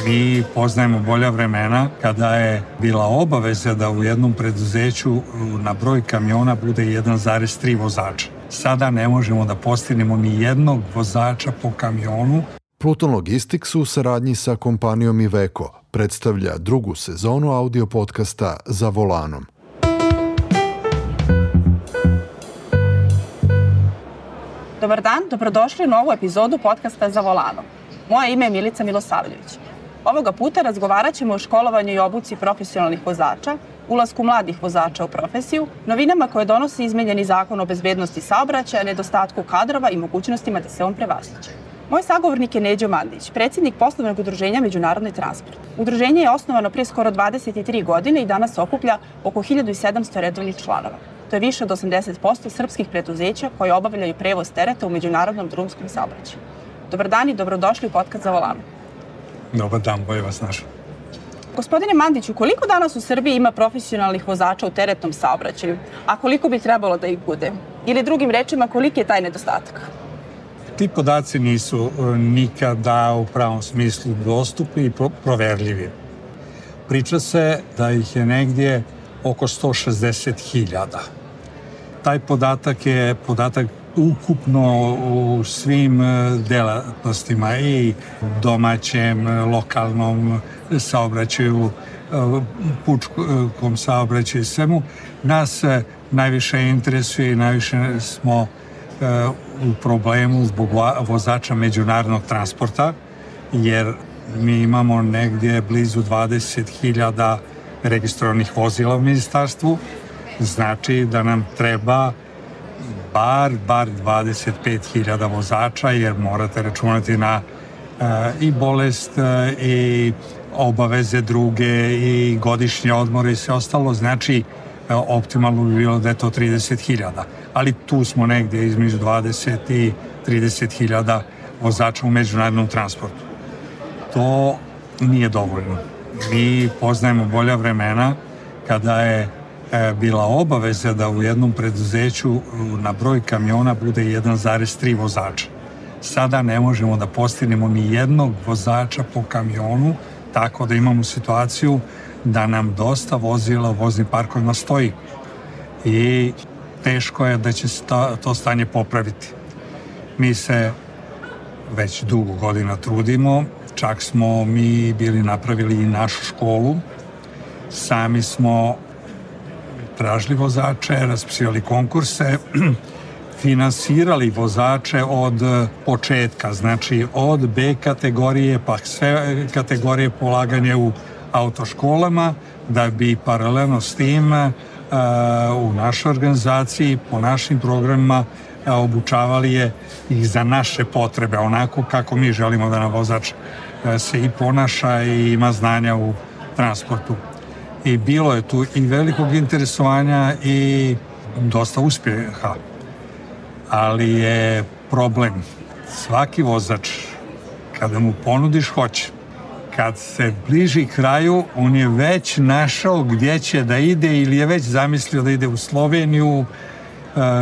Mi poznajemo bolja vremena kada je bila obaveza da u jednom preduzeću na broj kamiona bude 1,3 vozača. Sada ne možemo da postignemo ni jednog vozača po kamionu. Pluton Logistics u saradnji sa kompanijom Iveco predstavlja drugu sezonu audio podcasta Za volanom. Dobar dan, dobrodošli u novu epizodu podcasta Za volanom. Moje ime je Milica Milosavljević. Ovoga puta razgovarat ćemo o školovanju i obuci profesionalnih vozača, ulasku mladih vozača u profesiju, novinama koje donosi izmenjeni zakon o bezbednosti saobraćaja, nedostatku kadrova i mogućnostima da se on prevaziđe. Moj sagovornik je Neđo Mandić, predsjednik poslovnog udruženja Međunarodni transport. Udruženje je osnovano prije skoro 23 godine i danas okuplja oko 1700 redovnih članova. To je više od 80% srpskih preduzeća koje obavljaju prevoz tereta u međunarodnom drumskom saobraćaju. Dobar dan i dobrodošli u podcast Za volanom. Dobar dan, bolje vas našao. Gospodine Mandiću, koliko danas u Srbiji ima profesionalnih vozača u teretnom saobraćaju, a koliko bi trebalo da ih bude? Ili drugim rečima, koliki je taj nedostatak? Ti podaci nisu nikada u pravom smislu dostupni i proverljivi. Priča se da ih je negdje oko 160.000. Taj podatak je podatak ukupno u svim delatnostima i domaćem, lokalnom saobraćaju, pučkom saobraćaju i svemu. Nas najviše interesuje i najviše smo u problemu zbog vozača međunarodnog transporta, jer mi imamo negdje blizu 20.000 registrovanih vozila u ministarstvu. Znači da nam treba bar 25.000 vozača, jer morate računati na i bolest i obaveze druge i godišnje odmore i sve ostalo. Znači optimalno bi bilo da je to 30.000, ali tu smo negdje između 20 i 30.000 vozača u međunarodnom transportu. To nije dovoljno. Mi poznajemo bolja vremena kada je bila obaveza da u jednom preduzeću na broj kamiona bude 1,3 vozača. Sada ne možemo da postignemo ni jednog vozača po kamionu, tako da imamo situaciju da nam dosta vozila u voznim parkovima stoji. I teško je da će se to stanje popraviti. Mi se već dugo godina trudimo, čak smo mi bili napravili i našu školu. Sami smo tražili vozače, raspisivali konkurse, finansirali vozače od početka, znači od B kategorije pa sve kategorije polaganja u autoškolama, da bi paralelno s tim u našoj organizaciji, po našim programima obučavali je ih za naše potrebe, onako kako mi želimo da nam vozač se i ponaša i ima znanja u transportu. I bilo je tu i velikog interesovanja i dosta uspjeha. Ali je problem, svaki vozač, kada mu ponudiš hoće, kad se bliži kraju, on je već našao gdje će da ide ili je već zamislio da ide u Sloveniju,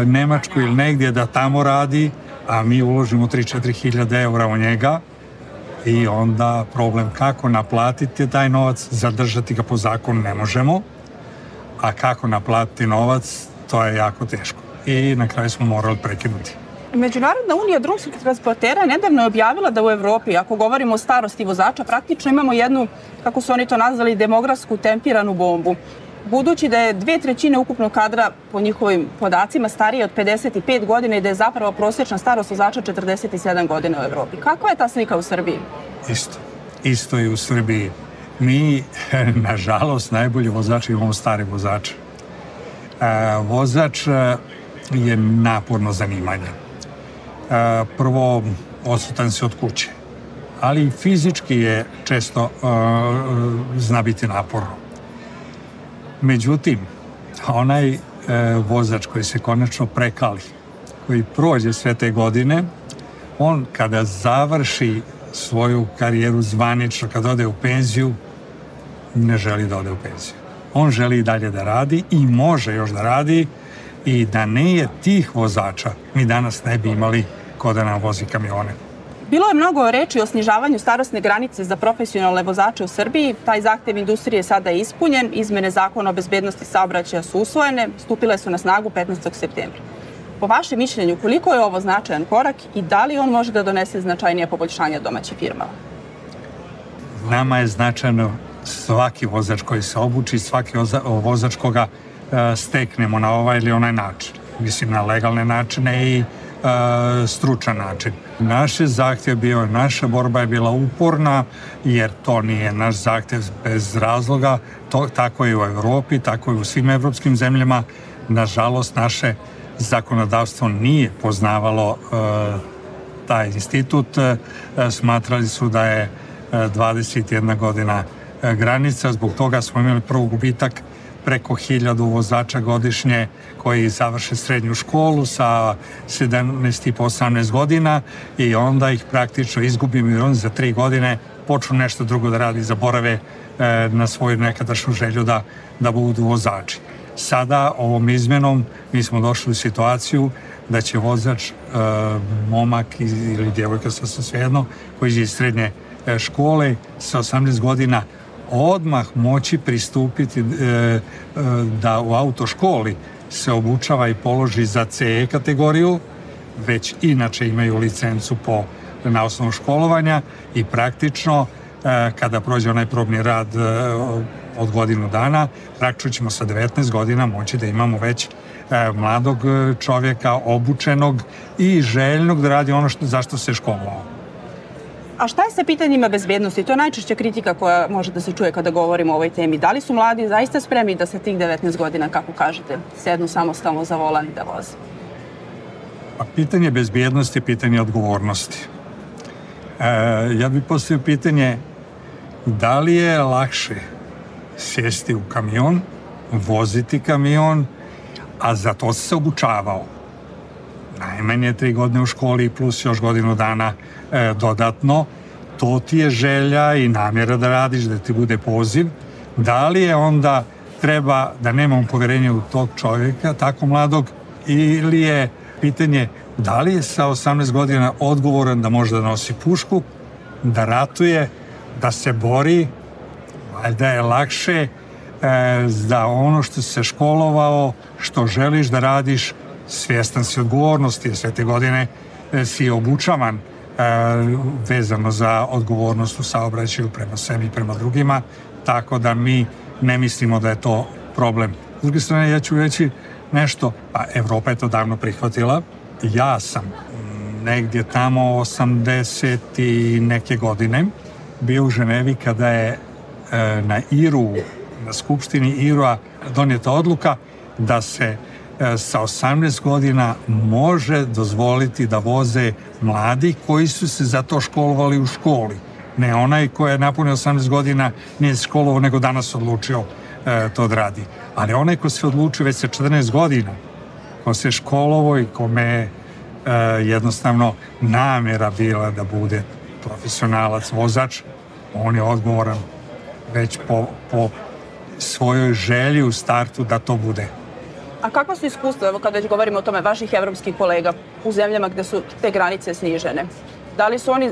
Nemačku ili negdje da tamo radi, a mi uložimo 3-4 hiljade eura u njega i onda problem kako naplatiti taj novac, zadržati ga po zakonu ne možemo, a kako naplatiti novac, to je jako teško. I na kraju smo morali prekinuti. Međunarodna unija drumskih transportera nedavno je objavila da u Evropi, ako govorimo o starosti vozača, praktično imamo jednu, kako su oni to nazvali, demografsku tempiranu bombu. Budući da je 2/3 ukupnog kadra, po njihovim podacima, starije od 55 godina i da je zapravo prosječna starost vozača 47 godina u Evropi. Kakva je ta slika u Srbiji? Isto je u Srbiji. Mi, nažalost, najbolji vozači imamo stare vozače. Vozač je naporno zanimanje. Prvo, odsutan se od kuće, ali i fizički je često zna biti naporno. Međutim, onaj vozač koji se konačno prekali, koji prođe sve te godine, on kada završi svoju karijeru zvanično, kada ode u penziju, ne želi da ode u penziju. On želi i dalje da radi i može još da radi, i da nije tih vozača, mi danas ne bi imali ko da nam vozi kamione. Bilo je mnogo reči o snižavanju starosne granice za profesionalne vozače u Srbiji. Taj zahtev industrije sada je ispunjen. Izmene zakona o bezbednosti saobraćaja su usvojene, stupile su na snagu 15. septembra. Po vašem mišljenju, koliko je ovo značajan korak i da li on može da donese značajnije poboljšanja domaćim firmama? Nama je značajno svaki vozač koji se obuči, svaki vozač koga steknemo na ovaj ili onaj način. Mislim, na legalne načine i stručan način. Naš je zahtjev bio, naša borba je bila uporna, jer to nije naš zahtjev bez razloga. Tako je u Evropi, tako je u svim evropskim zemljama. Nažalost, naše zakonodavstvo nije poznavalo taj institut. Smatrali su da je 21 godina granica. Zbog toga smo imali prvo gubitak preko 1000 vozača godišnje koji završe srednju školu sa 17 i po 18 godina i onda ih praktično izgubimo i oni za 3 godine počnu nešto drugo da radi, zaborave na svoju nekadašnju želju da budu vozači. Sada ovom izmenom mi smo došli u situaciju da će vozač, momak ili djevojka, sasvim svejedno, koji iđe iz srednje škole sa 18 godina odmah moći pristupiti da u autoškoli se obučava i položi za CE kategoriju, već inače imaju licencu na osnovu školovanja i praktično kada prođe onaj probni rad od godinu dana, praktično ćemo sa 19 godina moći da imamo već mladog čovjeka, obučenog i željnog da radi ono zašto se školovao. A šta je sa pitanjima bezbednosti? To je najčešća kritika koja može da se čuje kada govorimo o ovoj temi. Da li su mladi zaista spremni da sa tih 19 godina, kako kažete, sednu samostalno za volan i da voze? Pa pitanje bezbednosti je pitanje odgovornosti. Ja bih postavio pitanje da li je lakše sjesti u kamion, voziti kamion, a za to se obučavao. Najmanje 3 godine u školi plus još godinu dana dodatno. To ti je želja i namjera da radiš, da ti bude poziv. Da li je onda treba da nemamo poverenja u tog čovjeka, tako mladog, ili je pitanje da li je sa 18 godina odgovoran da može da nosi pušku, da ratuje, da se bori, valjda je lakše da ono što se školovao, što želiš da radiš, svjestan si odgovornosti, sve te godine si obučavan vezano za odgovornost u saobraćaju prema sebi i prema drugima, tako da mi ne mislimo da je to problem. S druge strane, ja ću reći nešto, pa Evropa je to davno prihvatila. Ja sam negdje tamo 80 i neke godine bio u Ženevi kada je na IRU, na skupštini IRU-a donijeta odluka da se sa 18 godina može dozvoliti da voze mladi koji su se za to školovali u školi. Ne onaj koji je napunio 18 godina nije se školovao, nego danas odlučio to da radi. Ali onaj ko se odlučio već sa 14 godina, ko se školovao i kome je jednostavno namjera bila da bude profesionalac, vozač, on je odgovoran već po svojoj želji u startu da to bude. A kakva su iskustva, evo kad već govorimo o tome, vaših evropskih kolega u zemljama gde su te granice snižene? Da li su oni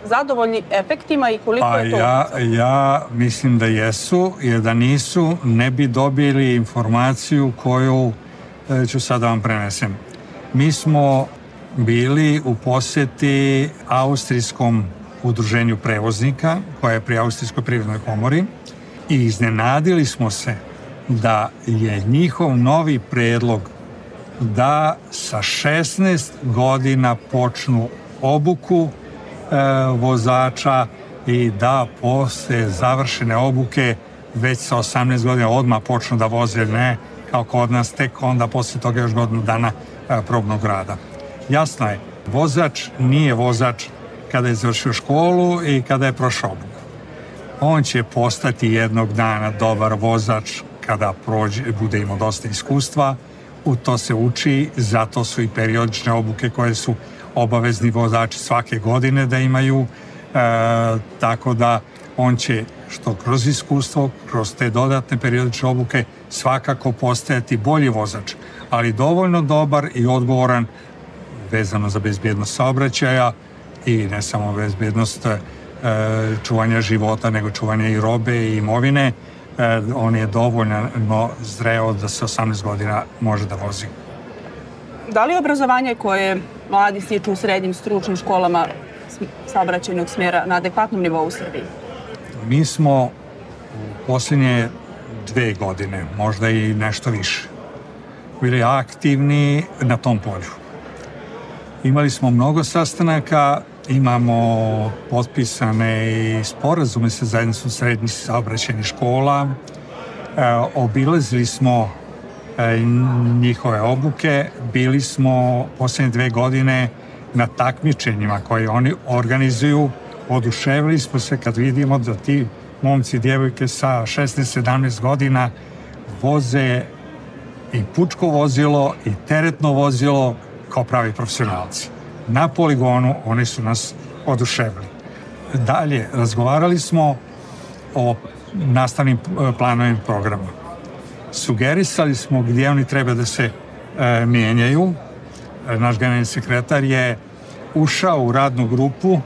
zadovoljni efektima i koliko je to? Ja mislim da jesu, jer da nisu ne bi dobili informaciju koju ću sad da vam prenesem. Mi smo bili u posjeti Austrijskom udruženju prevoznika, koja je pri Austrijskoj privrednoj komori, i iznenadili smo se da je njihov novi predlog da sa 16 godina počnu obuku vozača i da posle završene obuke već sa 18 godina odmah počnu da voze, ne kao kod nas, tek onda posle toga još godinu dana probnog rada. Jasno je, vozač nije vozač kada je završio školu i kada je prošao obuku. On će postati jednog dana dobar vozač kada bude imao dosta iskustva. U to se uči, zato su i periodične obuke koje su obavezni vozači svake godine da imaju, tako da on će što kroz iskustvo, kroz te dodatne periodične obuke svakako postajati bolji vozač, ali dovoljno dobar i odgovoran vezano za bezbjednost saobraćaja i ne samo bezbednost čuvanja života, nego čuvanja i robe i imovine, on je dovoljno zreo da se 18 godina može da vozi. Da li obrazovanje koje mladi stiču u srednjim stručnim školama saobraćajnog smjera na adekvatnom nivou u Srbiji? Mi smo u posljednje 2 godine, možda i nešto više, bili aktivni na tom polju. Imali smo mnogo sastanaka, imamo potpisane i sporazume sa zajednicom srednjih saobraćajnih škola, obilazili smo njihove obuke, bili smo posljednje 2 godine na takmičenjima koje oni organizuju, oduševili smo se kad vidimo da ti momci i djevojke sa 16-17 godina voze i pučko vozilo i teretno vozilo kao pravi profesionalci. Na poligonu oni su nas oduševili. Dalje, razgovarali smo o nastavnim planovima programa. Sugerisali smo gdje oni treba da se mijenjaju. Naš generalni sekretar je ušao u radnu grupu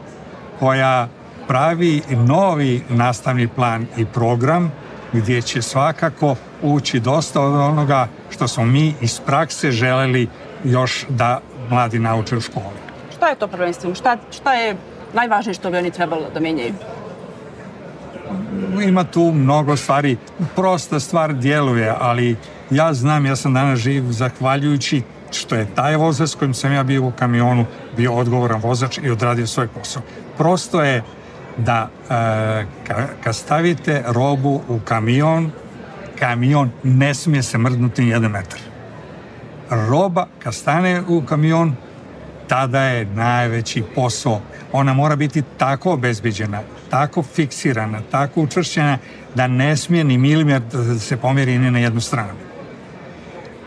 koja pravi novi nastavni plan i program gdje će svakako ući dosta od onoga što smo mi iz prakse želeli još da mladi nauče u školi. Šta je to prvenstveno? Šta je najvažnije što bi oni trebalo da menjaju? Ima tu mnogo stvari. Prosta stvar djeluje, ali ja znam, ja sam danas živ zahvaljujući što je taj vozač s kojim sam ja bio u kamionu bio odgovoran vozač i odradio svoj posao. Prosto je da kad stavite robu u kamion ne smije se mrdnuti 1 metar. Roba kad stane u kamion, tada je najveći posao. Ona mora biti tako obezbeđena, tako fiksirana, tako učvršćena da ne smije ni milimetar da se pomjeri ni na jednu stranu.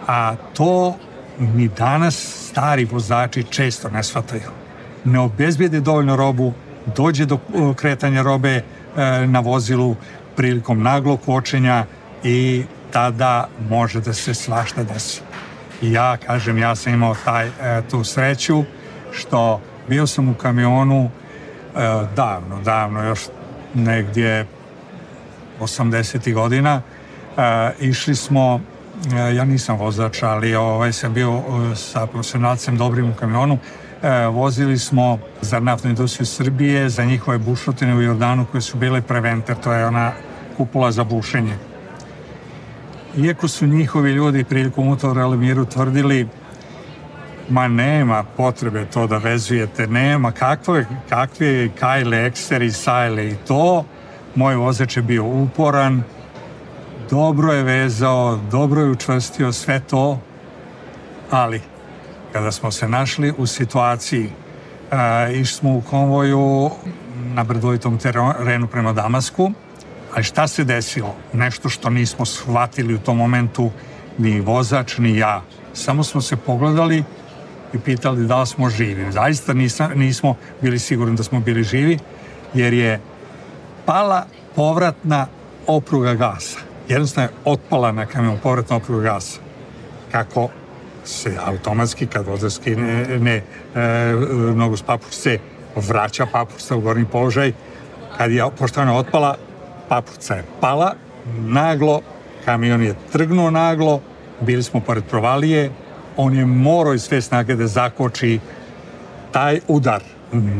A to ni danas stari vozači često ne shvataju. Ne obezbijede dovoljno robu, dođe do kretanja robe na vozilu prilikom naglog kočenja i tada može da se svašta desi. I ja kažem, ja sam imao tu sreću što bio sam u kamionu davno, još negdje 80. godina. Išli smo, ja nisam vozač, ali sam bio sa profesionalcem dobrim u kamionu. Vozili smo za naftnu industriju Srbije, za njihove bušotine u Jordanu koje su bile Preventer, to je ona kupola za bušenje. Iako su njihovi ljudi prilikom utovara Alemiru tvrdili ma nema potrebe to da vezujete, nema kakve kajle, ekseri, sajle i to, moj vozač je bio uporan, dobro je vezao, dobro je učvrstio sve to, ali kada smo se našli u situaciji, išli smo u konvoju na brdovitom terenu prema Damasku, ali šta se desilo? Nešto što nismo shvatili u tom momentu, ni vozač, ni ja. Samo smo se pogledali i pitali da li smo živi. Zaista nismo bili sigurni da smo bili živi, jer je pala povratna opruga gasa. Jednostavno je otpala na kamion povratna opruga gasa. Kako se automatski, kad vozač skine nogu s papučice, vraća papučica u gornji položaj. Pošto je ona otpala, papučica je pala naglo, kamion je trgnuo naglo, bili smo pored provalije, on je morao iz sve snage da zakoči taj udar.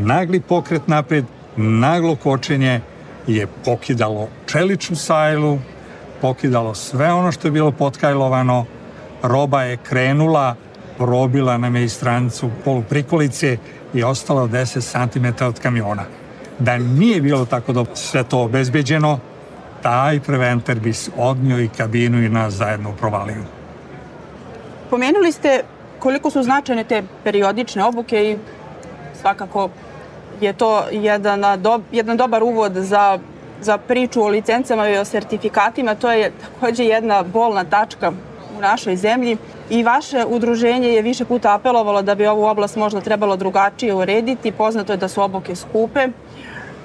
Nagli pokret napred, naglo kočenje je pokidalo čeličnu sajlu, pokidalo sve ono što je bilo potkajlovano, roba je krenula, probila nam je i stranicu poluprikolice i ostalo 10 cm od kamiona. Da nije bilo tako da sve to obezbeđeno, taj Preventer bi odnio i kabinu i nas zajedno u provaliju. Pomenuli ste koliko su značajne te periodične obuke i svakako je to jedan dobar uvod za priču o licencama i o sertifikatima. To je također jedna bolna tačka u našoj zemlji i vaše udruženje je više puta apelovalo da bi ovu oblast možda trebalo drugačije urediti. Poznato je da su obuke skupe,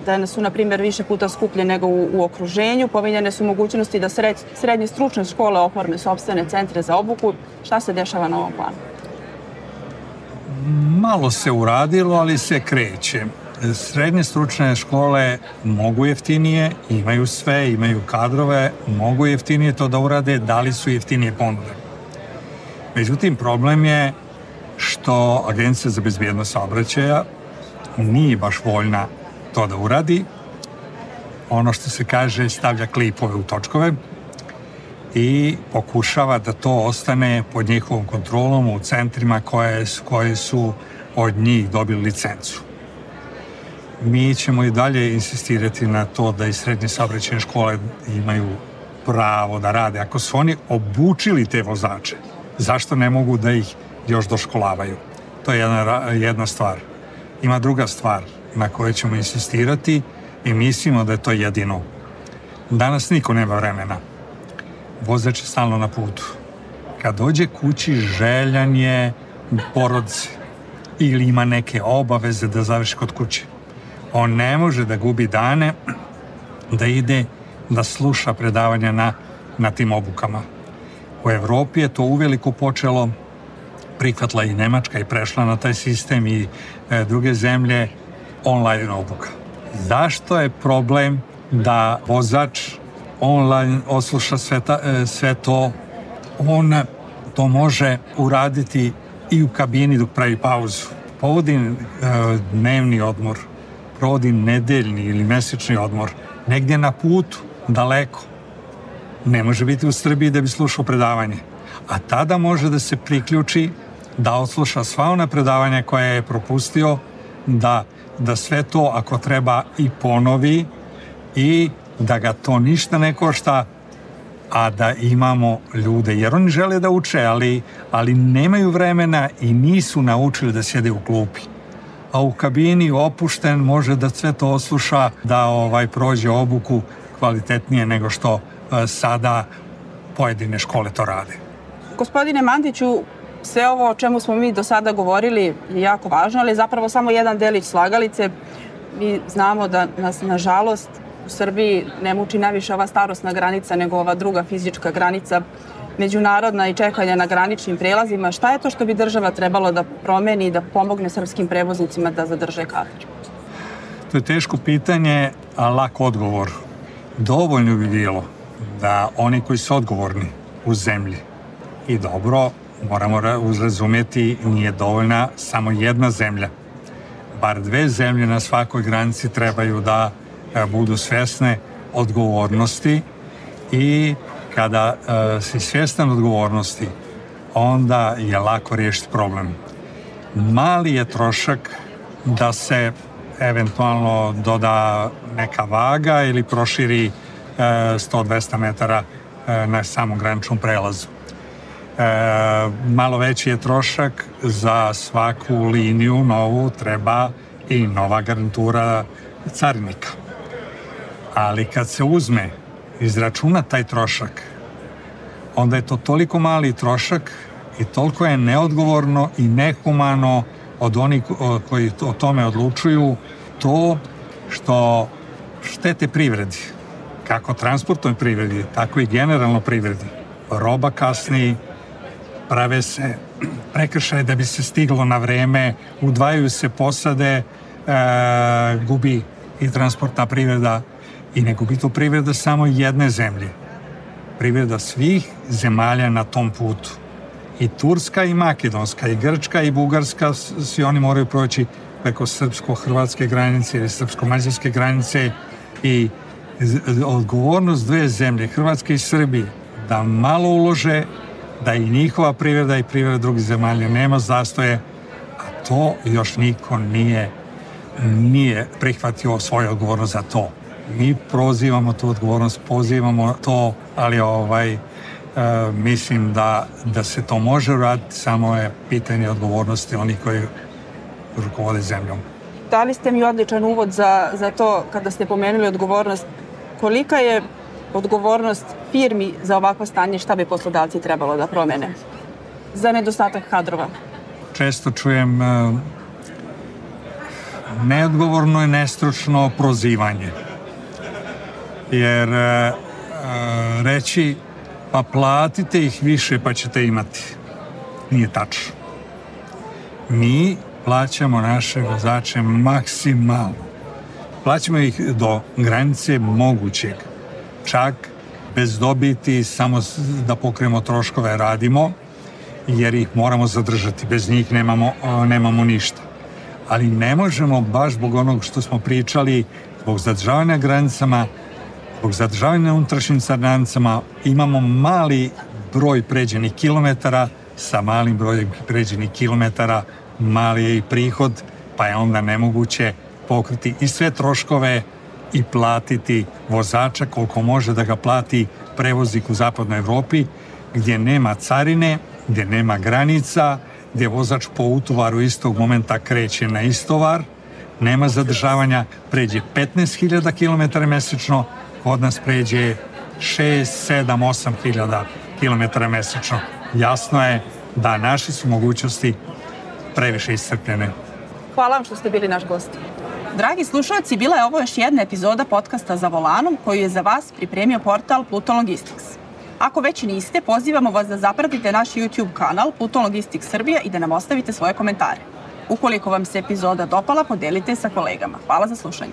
da su, na primjer, više puta skuplje nego u okruženju. Pominjane su mogućnosti da srednje stručne škole oforme sopstvene centre za obuku. Šta se dešava na ovom planu? Malo se uradilo, ali se kreće. Srednje stručne škole mogu jeftinije, imaju sve, imaju kadrove, mogu jeftinije to da urade, da li su jeftinije ponude. Međutim, problem je što Agencija za bezbednost saobraćaja nije baš voljna to da uradi. Ono što se kaže, stavlja klipove u točkove i pokušava da to ostane pod njihovom kontrolom u centrima koje su od njih dobili licencu. Mi ćemo i dalje insistirati na to da i srednje saobraćajne škole imaju pravo da rade. Ako su oni obučili te vozače, zašto ne mogu da ih još doškolavaju? To je jedna stvar. Ima druga stvar na kojoj ćemo insistirati i mislimo da je to jedino. Danas niko nema vremena. Vozač je stalno na putu. Kad dođe kući, željan je porodice ili ima neke obaveze da završi kod kuće. On ne može da gubi dane da ide da sluša predavanja na tim obukama. U Evropi je to uveliko počelo, prihvatila i Nemačka i prešla na taj sistem i druge zemlje online obuka. Zašto je problem da vozač online osluša sve to? On to može uraditi i u kabini dok pravi pauzu. Povodi dnevni odmor, provodi nedeljni ili mesečni odmor, negdje na putu, daleko. Ne može biti u Srbiji da bi slušao predavanje. A tada može da se priključi, da odsluša sva ona predavanja koja je propustio, da sve to ako treba i ponovi i da ga to ništa ne košta, a da imamo ljude. Jer oni žele da uče, ali nemaju vremena i nisu naučili da sjede u klupi. A u kabini opušten može da sve to osluša, da prođe obuku kvalitetnije nego što sada pojedine škole to rade. Gospodine Mandiću, sve ovo o čemu smo mi do sada govorili je jako važno, ali je zapravo samo jedan delić slagalice. Mi znamo da nas, nažalost, u Srbiji ne muči najviše ova starosna granica nego ova druga fizička granica, međunarodna i čekanja na graničnim prelazima. Šta je to što bi država trebalo da promeni i da pomogne srpskim prevoznicima da zadrže kadar? To je teško pitanje, a lak odgovor. Dovoljno bi bilo da oni koji su odgovorni u zemlji i dobro, moramo razumjeti, nije dovoljna samo jedna zemlja. Bar dve zemlje na svakoj granici trebaju da budu svjesne odgovornosti i kada si svjestan odgovornosti, onda je lako riješiti problem. Mali je trošak da se eventualno doda neka vaga ili proširi 100-200 metara na samom graničnom prelazu. Malo veći je trošak za svaku liniju novu, treba i nova garnitura carinika. Ali kad se uzme, izračuna taj trošak, onda je to toliko mali trošak i toliko je neodgovorno i nehumano od onih koji o tome odlučuju, to što štete privredi, kako transportnoj privredi, tako i generalno privredi. Roba kasni, prave se prekršaje da bi se stiglo na vreme, udvajaju se posade, gubi i transportna privreda i ne gubi to privreda samo jedne zemlje. Privreda svih zemalja na tom putu. I Turska i Makedonska, i Grčka i Bugarska, svi oni moraju proći preko srpsko-hrvatske granice ili srpsko-mađarske granice i odgovornost dve zemlje, Hrvatske i Srbije, da malo ulože, da i njihova privreda i privreda drugih zemalja nema zastoje, a to još niko nije prihvatio svoju odgovornost za to. Mi prozivamo tu odgovornost, pozivamo to, ali mislim da se to može uraditi, samo je pitanje odgovornosti onih koji rukovode zemljom. Dali ste mi odličan uvod za to kada ste pomenuli odgovornost. Kolika je odgovornost firmi za ovakvo stanje, šta bi poslodavci trebalo da promene za nedostatak kadrova? Često čujem neodgovorno i nestručno prozivanje. Jer reći pa platite ih više pa ćete imati. Nije tačno. Mi plaćamo naše vozače maksimalno. Plaćamo ih do granice mogućeg. Čak bez dobiti, samo da pokrijemo troškove radimo, jer ih moramo zadržati. Bez njih nemamo ništa. Ali ne možemo baš zbog onog što smo pričali, zbog zadržavanja granicama, zbog zadržavanja na unutrašnjim granicama, imamo mali broj pređenih kilometara. Sa malim brojem pređenih kilometara mali je i prihod, pa je onda nemoguće pokriti i sve troškove i platiti vozača koliko može da ga plati prevoznik u zapadnoj Evropi, gdje nema carine, gdje nema granica, gdje vozač po utovaru istog momenta kreće na istovar, nema zadržavanja, pređe 15.000 km mesečno, kod nas pređe 6, 7, 8.000 km mesečno. Jasno je da naše su mogućnosti previše iscrpljene. Hvala vam što ste bili naš gost. Dragi slušalci, bila je ovo još jedna epizoda podcasta Za volanom koju je za vas pripremio portal Pluton Logistics. Ako već niste, pozivamo vas da zapratite naš YouTube kanal Pluton Logistics Srbija i da nam ostavite svoje komentare. Ukoliko vam se epizoda dopala, podelite sa kolegama. Hvala za slušanje.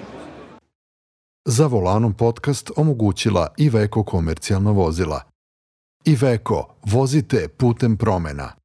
Za volanom podcast omogućila Iveco komercijalna vozila. Iveco, vozite putem promena.